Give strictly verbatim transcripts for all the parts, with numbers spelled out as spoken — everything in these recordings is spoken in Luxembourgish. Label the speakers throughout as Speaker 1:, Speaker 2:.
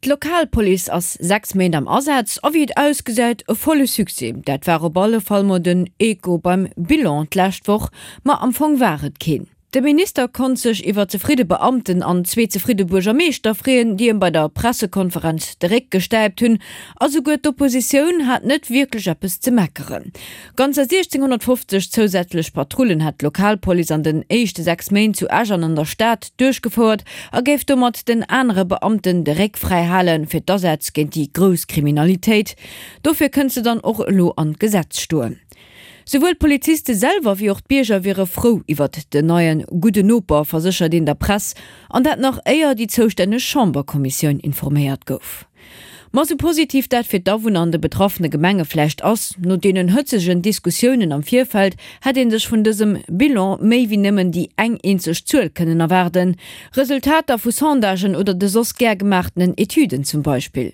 Speaker 1: D'Lokalpolice ass sechs Méint am Asaz a wéi et ausgesäit e volle Succès. Dat war op alle Fall mol den Echo beim Bilan d'lescht Woch, ma am Fong war et keen. De Minister konnt sech iwwer zefridde Beamten an zwee zefridde Buergermeeschter freeën, déi em bei der Pressekonferenz de Réck gestäipt hunn, a souguer d'Oppositioun hat net wierklech eppes ze meckeren. Ganzer siechzénghonnertfofzeg zousätzlech Patrullen hätt d'Lokalpolice an den éischte sechs Méint zu Esch an an der Stad duerchgefouert a géif domat den anere Beamten de Réck fräi hale fir d'Asätz géint déi grouss Kriminalitéit. Dofir kënnt se dann och elo an d'Gesetz stoen. Souwuel d'Poliziste selwer wéi och d'Bierger wiere frou iwwert den neie gudden Noper, verséchert een der Press, an dat nach éier déi zoustänneg Chamberkommissioun informéiert gouf. Ma sou positiv dat fir d'Awunner an de betraffene Gemenge vläicht ass, no deenen hëtzegen Diskussiounen am Virfeld hätt ee sech vun dësem Bilan méi wéi nëmmen déi eng eenzeg Zuel kënnen erwaarden, Resultater vu Sondagen oder de soss gär gemaachtenen Etüden zum Beispill.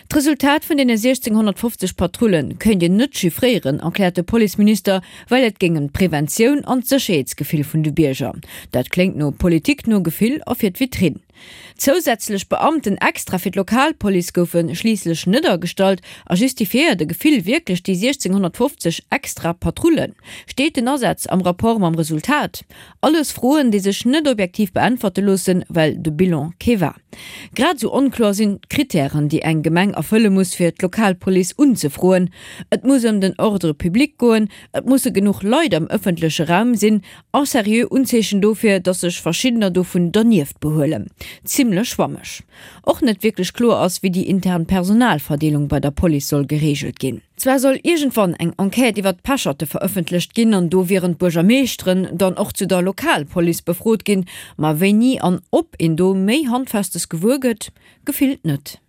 Speaker 1: D'Resultat vun deene siechzénghonnertfofzeg Patrulle kéint een net chiffréieren, erkläert de Policeminister, well et géing ëm d'Preventioun an d'Sécherheetsgefill vun de Bierger. Dat kléngt no Politik no Gefill a fir d'Vitrinn. Zousätzlech Beamten extra fir d'Lokalpolice goufe schliisslech net agestallt. A justifiéiert e Gefill wierklech déi siechzénghonnertfofzeg extra Patrullen? Steet den Asaz am Rapport mam Resultat? Alles Froen, déi sech net objektiv beäntwerte loossen, well de Bilan kee war. Grad esou onkloer sinn d'Krittären, déi eng Gemeng erfëlle muss, fir d'Lokalpolice unzefroen. Et muss ëm den Ordre public goen, et musse genuch Leit am ëffentleche Raum sinn a seriö Unzeechen dofir, datt sech verschiddener dovun dernieft behuelen. Zimmlech schwammeg. Och net wierklech kloer ass, wéi déi intern Personalverdeelung bei der Police soll gereegelt ginn. Zwar soll iergendwann eng Enquête iwwert d'Pecherte verëffentlecht ginn an do wieren d'Buergermeeschteren dann och zu der Lokalpolice befrot ginn, ma wéini an ob een do méi Handfestes gewuer gëtt, gefillt net.